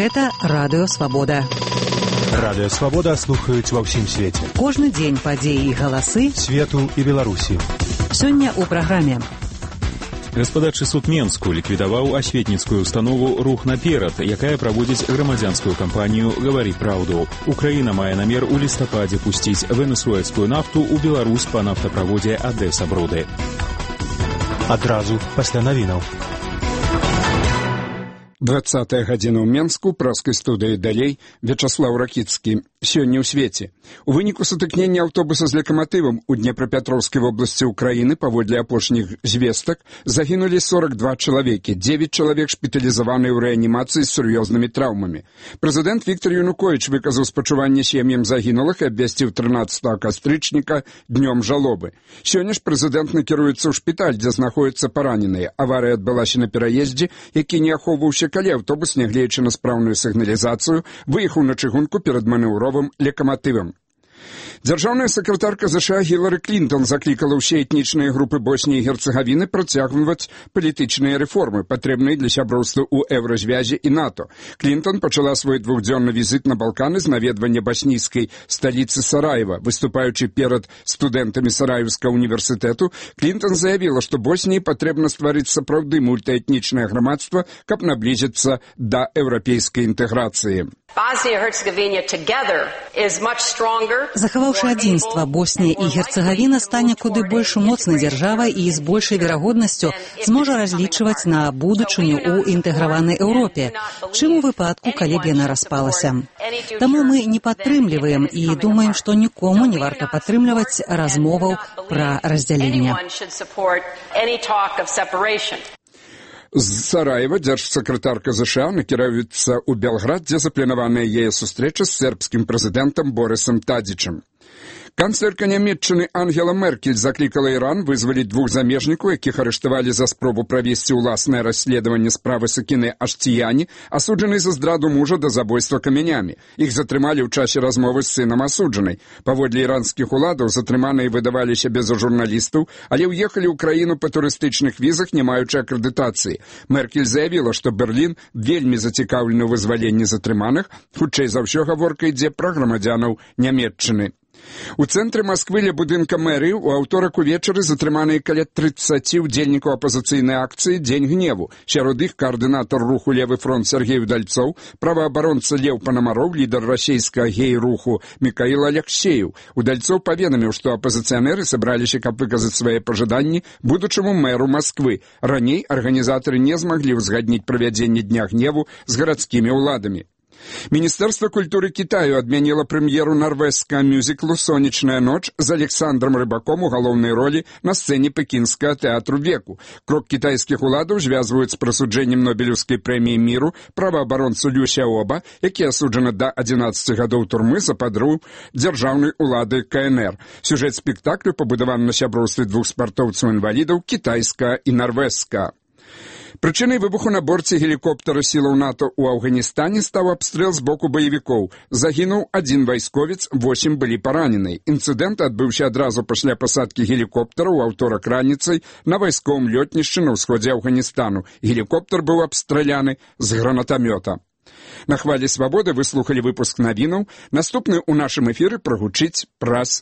Гэта Радыё Свабода. Радыё Свабода слухаюць ва ўсім свеце. Кожны дзень падзеі і галасы свету і Беларусі. Сёння ў праграме. Гаспадарчы суд Менску ліквідаваў асветніцкую установу «Рух наперад», якая праводзіць грамадзянскую кампанію «Гавары праўду». Украіна мае намер у лістападзе пусціць венесуэльскую нафту ў Беларусь па нафтаправодзе Адэса-Броды. Адразу пасля навінаў. 20-я гадзіна ў Менску, праскай студыі далей, Вячаслаў Ракіцкі. Сёння ў свеце. У выніку сутыкнення аўтобуса з лакаматывам у Днепрапетроўскай вобласці Украіны, паводле апошніх звестак, загінулі 42 чалавекі, 9 чалавек шпіталізаваныя ў рэанімацыі з сур'ёзнымі траўмамі. Прэзідэнт Віктор Януковіч выказаў спачуванне сем'ям загінулых і абвясціў 13 кастрычніка днём жалобы. Сёння ж прэзідэнт накіруецца ў шпіталь, дзе знаходзяцца параненыя. Аварыя адбылася на пераездзе, які не ахоўваўся, калі аўтобус, нягледзячы на спраўную сігналізацыю, выехаў на чыгунку перад манеўровым лакаматывам. Дзяржаўная сакратарка ЗША Гілары Клінтон заклікала ўсе этнічныя групы Босніі і Герцагавіны працягваць палітычныя рэформы, патрэбныя для сяброўства ў Еўразвязе і НАТО. Клінтон пачала свой двухдзённы візіт на Балканы з наведвання баснійскай сталіцы Сараева. Выступаючы перад студэнтамі Сараевскага універсітэту, Клінтон заявіла, што Босніі патрэбна стварыць сапраўды мультаэтнічнае грамадства, каб наблізіцца да еўрапейскай інтэграцыі. Захаваўшы адзінства, Боснія і Герцагавіна стане куды больш моцнай дзяржавай і з большай верагоднасцю зможа разлічваць на будучыню ў інтэграванай Еўропе, чым у выпадку, калі б яна распалася. Таму мы не падтрымліваем і думаем, што нікому не варта падтрымліваць размоваў пра раздзяленне. З Сараева дзяржсакратарка ЗША накіруецца ў Белград, дзе запланаваная яе сустрэча з сербскім прэзідэнтам Борисам Тадзічам. Канцлерка Нямецчыны Ангела Меркель заклікала Іран вызваліць 2 замежнікаў, якіх арыштавалі за спробу правесці ўласнае расследаванне справы Сакіны Аштіяні, асуджанай за здраду мужа да забойства камянямі. Іх затрымалі ў часе размовы з сынам асуджанай. Паводле іранскіх уладаў затрыманыя выдаваліся без журналістаў, але ўехалі ў краіну па турыстычных візах, не маючы акрэдытацыі. Меркель заявіла, што Берлін вельмі зацікаўлены ў вызваленні затрыманых, хутчэй за ўсё гаворка ідзе пра грамадзянаў Нямецчыны. У цэнтры Масквы ля будынка мэрыі ў аўторак увечары затрыманыя каля 30 удзельнікаў апазіцыйнай акцыі «Дзень гневу». Сярод іх каардынатар руху «Левы фронт» Сергей Удальцоў, праваабаронца Леў Панамароў, лідар расійскага гей-руху Мікаіл Аляксеев. Удальцоў паведаміў, што апазіцыянеры сабраліся, каб выказаць свае пажаданні будучаму мэру Масквы. Раней арганізатары не змаглі ўзгадніць правядзенне Дня гневу з гарадскімі ўладамі. Міністэрства культуры Кітаю адмяніла прэм'еру нарвежскага мюзіклу «Сонечная ноч» з Александром Рыбаком у галоўнай ролі на сцэне пекінскага тэатру веку. Крок кітайскіх уладаў звязваюць з прысуджэннем Нобелеўскай прэміі міру праваабаронцу Лю Сяоба, які асуджаны да 11 гадоў турмы за падрыў дзяржаўнай улады КНР. Сюжэт спектаклю пабудаваны на сяброўстве 2 спартоўцаў-інвалідаў кітайскага і нарвежскага. Прычынай выбуху на борце гелікоптара сілаў НАТО ў Афганістане стаў абстрэл з боку баевікоў. Загінуў 1 вайсковец, 8 былі параненыя. Інцыдэнт адбыўся адразу пасля пасадкі гелікоптара ў аўторак раніцай на вайсковым лётнішчы на ўсходзе Афганістану. Гелікоптар быў абстраляны з гранатамёта. На хвалі свабоды вы слухалі выпуск навінаў. Наступны ў нашым эфіры прагучыць праз